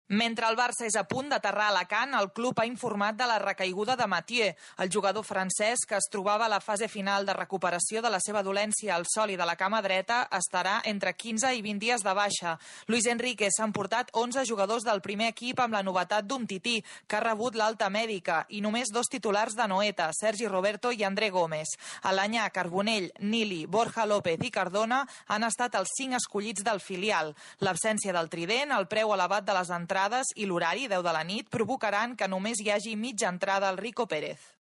Mentre el Barça és a punt d'aterrar a Alacant, el club ha informat de la recaiguda de Mathieu. El jugador francès, que es trobava a la fase final de recuperació de la seva dolència al sòl i de la cama dreta, estarà entre 15 i 20 dies de baixa. Luis Enrique s'ha emportat 11 jugadors del primer equip amb la novetat d'Umtiti, que ha rebut l'alta mèdica, i només 2 titulars de Noeta, Sergi Roberto i André Gómez. Alanyà, Carbonell, Nili, Borja López i Cardona han estat els 5 escollits del filial. L'absència del trident, el preu elevat de les entrades i l'horari, 10 de la nit, provocaran que només hi hagi mitja entrada al Rico Pérez.